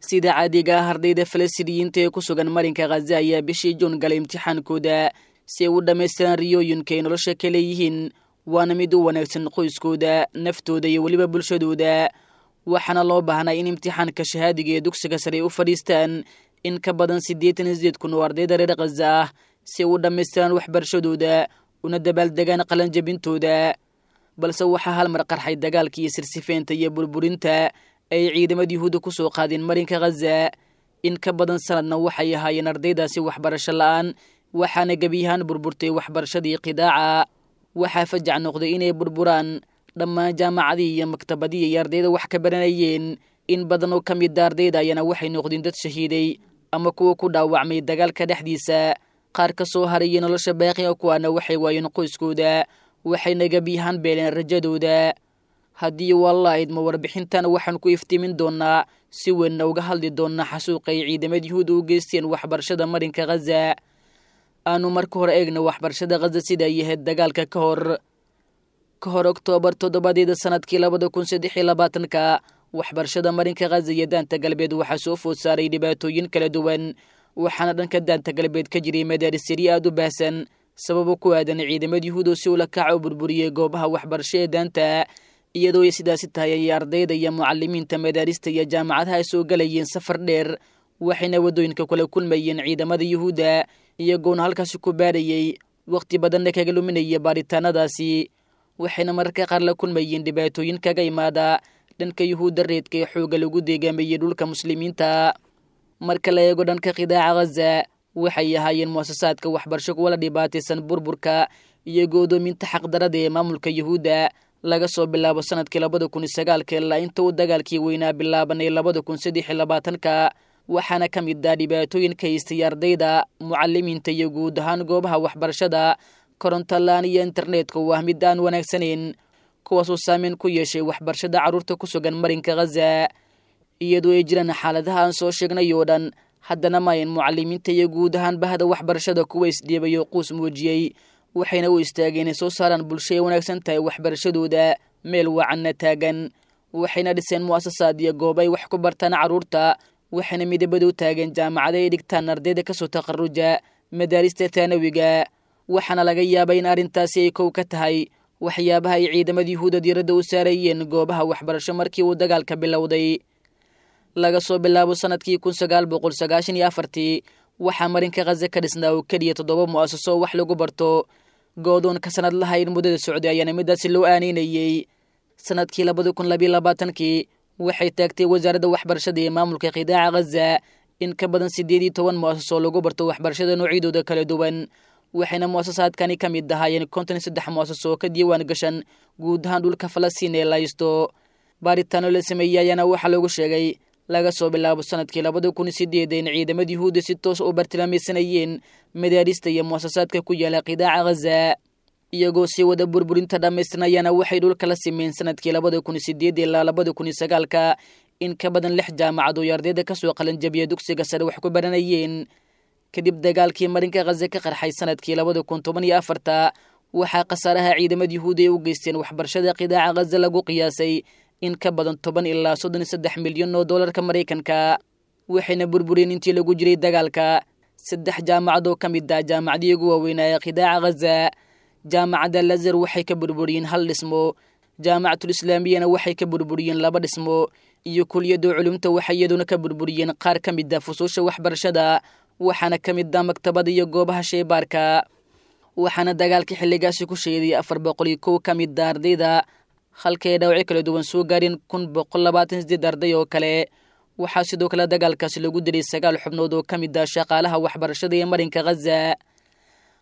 Sida caadiga ah, ardayda Falastiiniyiinta ee ku sugan marinka Khaza ayaa bishii Juun galay imtixaankooda si ay u dhammaystiraan riyooyinka ay nolosha ka leeyihiin, waana mid u wanaagsan qoyskooda, naftooda iyo weliba bulshadooda. Waxaana loo baahnaa in imtixaanka shahaadiga ee dugsiga sare ay u fadhiistaan in ka badan 88,000 oo ardayda reer Khaza ah si ay u dhammaystiraan waxbarashadooda una dabaaldegaan qalanjabintooda. Balse waxaa hal mar qarxay dagaalkii iyo sirsifeynta iyo burburinta ay ciidamada Yuhuudda ku soo qaadeen marinka Khaza. In ka badan sanadna waxay ahaayeen ardaydaasi waxbarasho la'aan, waxaana gebiyahaan burburtay waxbarashadii qidaaca. Waxaa fajac noqday inay burburaan dhammaan jaamacadihii iyo maktabadihii ay ardayda wax ka baranayeen. In badan oo ka mida ardayda ayaana waxay noqdeen dad shahiiday ama kuwa ku dhaawacmay dagaalka dhexdiisa. Qaar ka soo harayay nolosha baaqiga kuwaana waxay waayeen qoyskooda, waxayna gebiyahaan beeleen rajadooda. Haddii wallah idmo, warbixintan waxaan ku iftiimin doonaa, si weynna uga hadli doonaa xasuuqa ay ciidamada Yuhuudda u geysteen waxbarashada marinka Khaza. Aanu marka hore eegna waxbarashada Khaza sida ay ahayd dagaalka ka hor. Ka hor Oktoobar 7-deeda sanadkii 2023-ka, waxbarashada marinka Khaza iyo Daanta Galbeed waxaa soo food saaray dhibaatooyin kala duwan, waxaana dhanka Daanta Galbeed ka jiray madaarisiri aad u baahsan sababo ku aadan ciidamada Yuhuud oo si ula kaca u burburiyey goobaha waxbarasho ee daanta. Iyadoo ay sidaasi tahay ayay ardayda iyo mucalimiinta madaarista iyo jaamacadaha ay soo galayeen safar dheer, waxayna waddooyinka kula kulmayeen ciidamada Yuhuudda, iyagoona halkaasi ku baadhayey, wakhti badanna kaga luminaya baaritaanadaasi. Waxayna mararka qaar la kulmayeen dhibaatooyin kaga imaada dhanka Yuhuudda reedka ee xoogga lagu deegaameeyey dhulka muslimiinta. Marka la eego dhanka qidaaca Khaza, waxay ahaayeen muasasaadka waxbarasho kuwa la dhibaataysan burburka iyo go'doominta xaqdarada ee maamulka Yuhuudda laga soo bilaabo sanadkii 2009-ka ilaa inta uu dagaalkii weynaa bilaabanay 2023-ka. Waxaana ka mid ah dhibaatooyin ka haystay ardayda, mucalimiinta iyo guud ahaan goobaha waxbarashada koronto la'aan iyo internetka oo ah mid aan wanaagsanayn, kuwaasoo saameyn ku yeeshay waxbarashada carruurta ku sugan marinka Khaza. Iyadoo ay jiraan xaaladaha aan soo sheegnay oo dhan, haddana maayan mucalimiinta iyo guud ahaan bahda waxbarashada kuwa isdhiibay oo quus muujiyey, waxayna u istaageen inay soo saaraan bulsho ay wanaagsan tahay waxbarashadooda, meel wacanna taagan. Waxayna dhiseen mu'asasaad iyo goob ay wax ku bartaan carruurta, waxayna midabada u taageen jaamacada ay dhigtaan ardayda kasoo taqaruja madaarista taanawiga. Waxaana laga yaabay in arrintaasi ay kow ka tahay waxyaabaha ay ciidamada Yuhuudda diiradda u saarayeen goobaha waxbarasho markii uu dagaalka bilowday. Laga soo bilaabo sanadkii 1994-tii, waxaa marinka Khaza ka dhisnaa oo keliya toddoba mu'asaso oo wax lagu barto. Goodoonka sanad lahayn muddada socday ayaana midaasi loo aaneynayey. Sanadkii 2022-kii waxay taagtay wasaaradda waxbarashada ee maamulka qidaaca Khaza in ka badan 18 mu'asaso lagu barto waxbarashada noocyadooda kala duwan, waxayna mu'asasaadkani ka mid ahaayeen 53 mu'asaso oo ka diiwaan gashan guud ahaan dhulka Falastiin ee laysto. Baaritaano la sameeyey ayaana waxaa lagu sheegay laga soo bilaabo sanadkii 2008 in ciidamada Yuhuudda si toos u bartilmaamaysanayeen madaarista iyo mu'asasaadka ku yaala qidaaca Khaza, iyagoo sii wada burburinta dhammaystirnayaana waxay dhulka la simeen sanadkii 2008 ilaa 2009-ka in ka badan lix jaamacad oo ardayda kasoo qalanjabiya dugsiga sare wax ku baranayeen. Kadib dagaalkii marinka Khaza ka qarxay sanadkii 2014-ta, waxaa khasaaraha ciidamada Yuhuudda ay u geysteen waxbarashada qidaaca Khaza lagu qiyaasay in ka badan 10 ilaa 33 milyan oo doolarka Maraykanka, waxayna burbureen intii lagu jiray dagaalka saddex jaamacad oo ka mid ah jaamacadii ugu waaweynaa ee qidaaca Khaza. Jaamacadda Lazar waxay ka burburiyeen hal dhismo, Jaamacatul Islaamiyana waxay ka burburiyeen laba dhismo, iyo kuliyadda culumta waxay iyaduna ka burburiyeen qaar ka mid ah fusuusha waxbarashada, waxaana ka mid ah maktabada iyo goobaha sheybaarka. Waxaana dagaalka xilligaasi ku sheeday 401 ka mid ah ardayda, halka ay dhaawacyo kala duwan soo gaareen 1128 arday oo kale. Waxaa sidoo kale dagaalkaasi lagu dilay sagaal xubnood oo ka mid ah shaqaalaha waxbarashada ee marinka Khaza.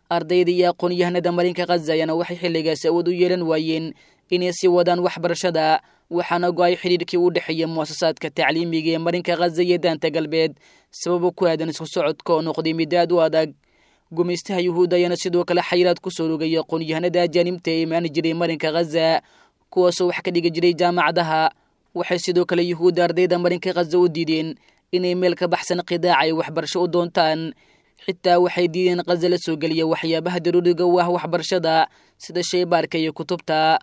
Ardayda iyo aqoon-yahanada marinka Khaza ayaana waxay xilligaasi awood u yeelan waayeen inay sii wadaan waxbarashada, waxaana go'ay xidhiidhkii u dhexeeya mu'asasaadka tacliimiga ee marinka Khaza iyo Daanta Galbeed sababo ku aadan isku socodka oo noqday mid aad u adag. Gumaystaha Yuhuudda ayaana sidoo kale xayiraad ku soo rogay aqoon-yahanada ajaanibta ee imaani jiray marinka Khaza, kuwaasoo wax ka dhigi jiray jaamacadaha. Waxay sidoo kale Yuhuudda ardayda marinka Khaza u diideen inay meel ka baxsan qidaaca ay waxbarasho u doontaan. Xitaa waxay diideen Khaza la soo geliya waxyaabaha daruuriga u ah waxbarashada sida sheybaarka iyo kutubta.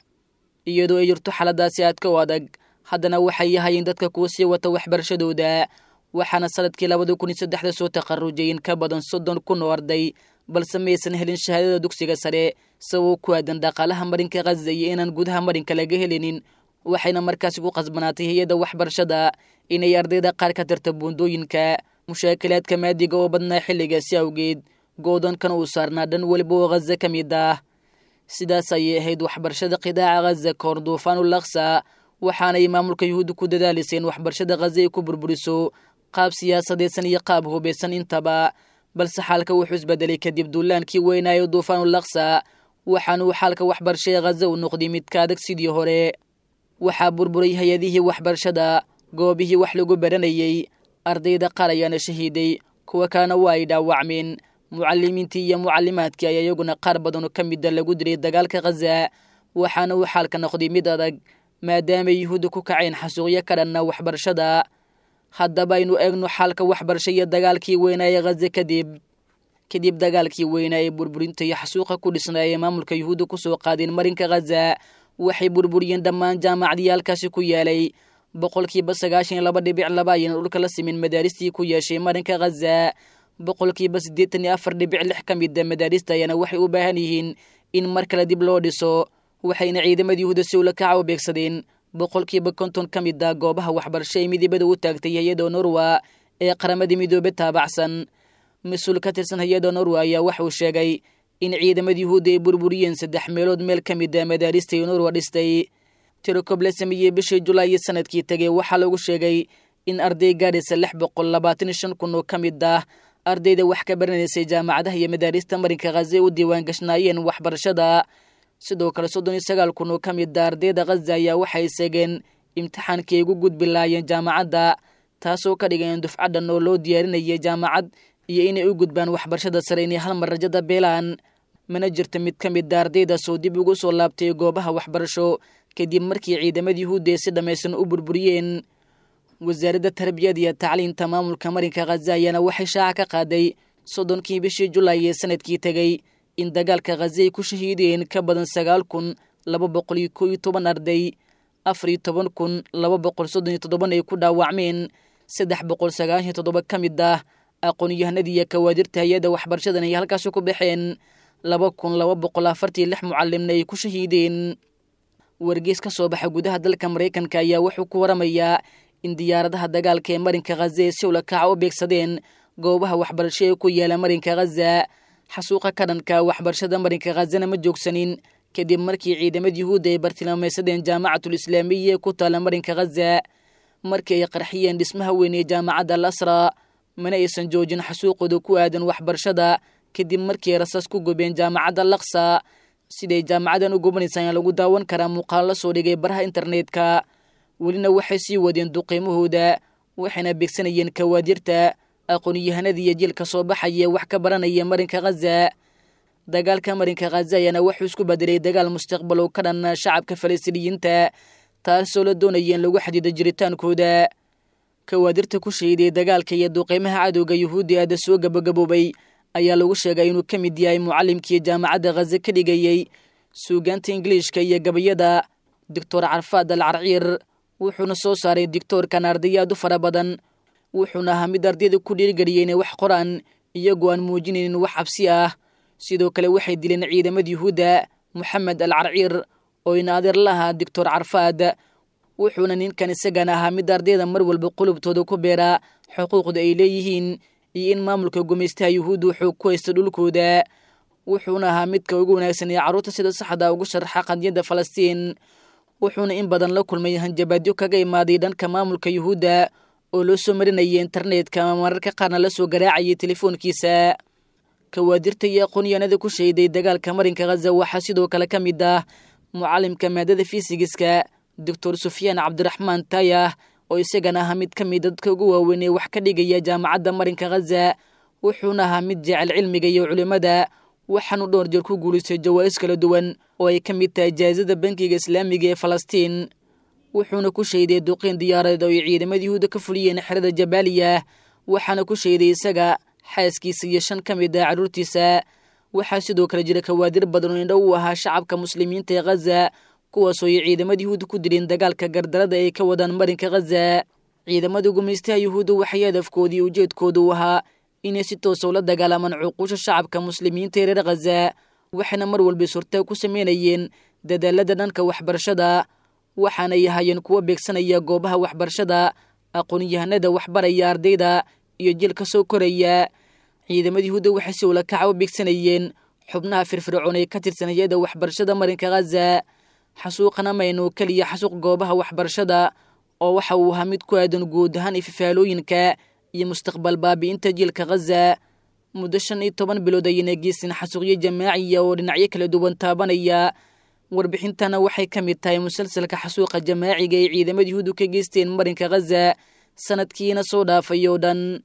Iyadoo ay jirto xaaladaasi aadka u adag, haddana waxay yahayeen dadka kuwa sii wata waxbarashadooda. Waxaana sanadkii 2003 soo takharujay in ka badan 30,000 oo arday, balse maysan helin shahaadada dugsiga sare sababo ku aadan dhaqaalaha marinka Khaza iyo inaan gudaha marinka laga helinin. Waxayna markaasi ku qasbanaatay hay-adda waxbarashada inay ardayda qaar ka tirta buundooyinka. Mushaakilaadka maadiga oo badnaa xilligaasi awgeed, goodoonkan uu saarnaa dhan weliba oo Khaza ka mid ah. Sidaas ayay ahayd waxbarashada qidaaca Khaza kahor duufaanul Aqsa, waxaanay maamulka Yuhuudda ku dadaalisay in waxbarashada Khaza ay ku burburiso qaab siyaasadeedsan iyo qaab hubaysan intaba. Balse xaalka wuxuu isbedelay kadib duulaankii weynaayo duufaanul Aqsa, waxaana uu xaalka waxbarasho ee Khaza u noqday mid ka adag sidii hore. Waxaa burburay hay-adihii waxbarashada, goobihii wax lagu baranayey, ardayda qaar ayaana shahiiday, kuwa kalena waa ay dhaawacmeen. Mucalimiintii iyo mucalimaadkii ayaa iyaguna qaar badan oo ka mida lagu dilay dagaalka Khaza, waxaana uu xaalka noqday mid adag maadaamay Yuhuudda ku kaceen xasuuqyo ka dhanna waxbarashada. Haddaba aynu eegno xaalka waxbarasho iyo dagaalkii weynaa ee Khaza kadib. Kadib dagaalkii weynaa ee burburinta iyo xasuuqa ku dhisnaa ee maamulka Yuhuudda kusoo qaadeen marinka Khaza, waxay burburiyeen dhammaan jaamacadiyaalkaasi ku yaalay. 92.2% ayayna dhulka la simin madaaristii ku yeeshay marinka Khaza. 84.6% ka mida madaarista ayaana waxay u baahan yihiin in mar kale dib loo dhiso, waxayna ciidamada Yuhuudda si ula kaca u beegsadeen 50% ka mid a goobaha waxbarasho ee midibada u taagtay hay-adda Norwa ee Qaramada Midoobe taabacsan. Mas-uul ka tirsan hay-adda Norwa ayaa waxauu sheegay in ciidamada Yuhuudda ay burburiyeen 3 meelood meel ka mid a madaarista ee Norwa dhistay. Tirokob la sameeyey bishii Julaay sanadkii tegay waxaa lagu sheegay in arday gaadhaysa 625,000 oo ka mid ah ardayda wax ka baranaysay jaamacadaha iyo madaarista marinka Khaza u diiwaan gashnaayeen waxbarashada. Sidoo kale 39,000 oo ka mid ah ardayda Khaza ayaa waxay seegeen imtixaankii ay ugu gudbi lahaayeen jaamacadda, taasoo ka dhigan dufcadhan oo loo diyaarinayay jaamacad iyo inay u gudbaan waxbarashada sare inay hal mar rajada beelaan. Mana jirta mid ka mid a ardaydaas oo dib ugu soo laabtay goobaha waxbarasho kadib markii ciidamada Yuhuudda ay si dhammaysan u burburiyeen. Wasaaradda Tarbiyada iyo Tacliinta maamulka marinka Khaza ayaana waxay shaaca ka qaaday 30kii bishii Julaay ee sanadkii tegey in dagaalka Khaza ay ku shahiideen ka badan 9,211 arday, 14,237 ay ku dhaawacmeen, 397 ka mid ah aqoon-yahanadii iyo kawaadirta hay-adda waxbarashadan ay halkaasi ku baxeen, 2,246 mucalimna ay ku shahiideen. Wargeys ka soo baxa gudaha dalka Maraykanka ayaa wuxuu ku waramayaa in diyaaradaha dagaalka ee marinka Khaza ee si ula kaca u beegsadeen goobaha waxbarasho ee ku yaala marinka Khaza. Xasuuqa ka dhanka waxbarashada marinka Khazana ma joogsanin kadib markii ciidamada Yuhuudda ay bartilmaamaysadeen Jaamacatul Islaamiya ee ku taala marinka Khaza, markii ay qarxiyeen dhismaha weyn ee jaamacadda Al Asra. Mana aysan joojin xasuuqooda ku aadan waxbarashada kadib markii ay rasaas ku gubeen jaamacadda Al Aqsa. Siday jaamacadan u gubanaysa ayaa lagu daawan karaa muuqaal la soo dhigay baraha internetka. Welina waxay sii wadeen duqiimahooda, waxayna beegsanayeen kawaadirta, aqoon-yahanada iyo jiilka soo baxaya wax ka baranaya marinka Khaza. Dagaalka marinka Khaza ayaana wuxuu isku bedelay dagaal mustaqbal oo ka dhan shacabka Falastiiniyiinta, taasoo la doonaya in lagu xadido jiritaankooda. Kawaadirta ku shahiiday dagaalka iyo duqiimaha cadowga Yuhuudda aada soo gabagaboobay ayaa lagu sheegay inuu ka mid yahay mucallimkii jaamacadda Khaza ka dhigayey suugaanta Ingiliishka iyo gabayada, Doctor Carfaad Al Carciir. Wuxuuna soo saaray digtoorkan arday aad u fara badan, wuxuuna ahaa mid ardayda ku dhiirigeliyay inay wax qoraan iyagoo aan muujinaynin wax cabsi ah. Sidoo kale waxay dileen ciidamada Yuhuudda Moxamed Al Carciir oo ina adeer la ahaa Doctor Carfaad, wuxuuna ninkan isagana ahaa mid ardayda mar walba qulubtooda ku beera xuquuqda ay leeyihiin iyo in maamulka gumaystaha Yuhuudda wuxuu ku haysta dhulkooda. Wuxuuna ahaa midka ugu wanaagsan ee carruurta sida saxda ugu sharxa qadiyadda Falastiin, wuxuuna in badan la kulmay hanjabaadyo kaga imaaday dhanka maamulka Yuhuudda oo loo soo marinayay internetka ama mararka qaarna la soo garaacayay telefoonkiisa. Kawaadirta iyo aqoon-yahanada ku shahiday dagaalka marinka Khaza waxaa sidoo kale ka mid ah mucallimka maadada fiisigiska Doctor Sufyaan Cabdiraxmaan Tayah oo isagana ahaa mid ka mid dadka ugu waaweyn ee wax ka dhigaya jaamacadda marinka Khaza. Wuxuuna ahaa mid jecel cilmiga iyo culimmada, waxaanu dhowr jeer ku guulaystay jawaa'is kala duwan oo ay ka mid tahay jaa'isada Bankiga Islaamiga ee Falastiin. Wuxuuna ku shahiday duqeyn diyaaradeed oo ay ciidamada Yuhuudda ka fuliyeen xerada Jabaaliya, waxaana ku shahiday isaga, xaaskiisa iyo 5 ka mid ah carruurtiisa. Waxaa sidoo kale jira kawaadir badan oo indho u ahaa shacabka muslimiinta ee Khaza, kuwaasoo ay ciidamada Yuhuudda ku dileen dagaalka gardarada ay ka wadaan marinka Khaza. Ciidamada gumaystaha Yuhuudda waxay hadafkoodii ujeedkoodu u ahaa inay si toosa ula dagaalamaan cuquusha shacabka muslimiinta ee reer Khaza, waxayna mar walba suurtaag ku sameynayeen dadaalada dhanka waxbarashada, waxaanay ahaayeen kuwo beegsanaya goobaha waxbarashada, aqoon-yahanada waxbaraya ardayda iyo jiilka soo koraya. Ciidamada Yuhuudda waxay si ulakaca u beegsanayeen xubnaha firfircoon ee ka tirsan hay-adda waxbarashada marinka Khaza. Xasuuqana maynu keliya xasuuq goobaha waxbarashada oo waxa uu ahaa mid ku aadan guud ahaan ififaalooyinka iyo mustaqbal baabi'inta jiilka Khaza. Muddo 15 bilood ayayna geysteen xasuuqyo jamaaciya oo dhinacyo kala duwan taabanaya. Warbixintana waxay ka mid tahay musalsalka xasuuqa jamaaciga ay ciidamada Yuhuuddu ka geysteen marinka Khaza sanadkiina soo dhaafay oo dhan.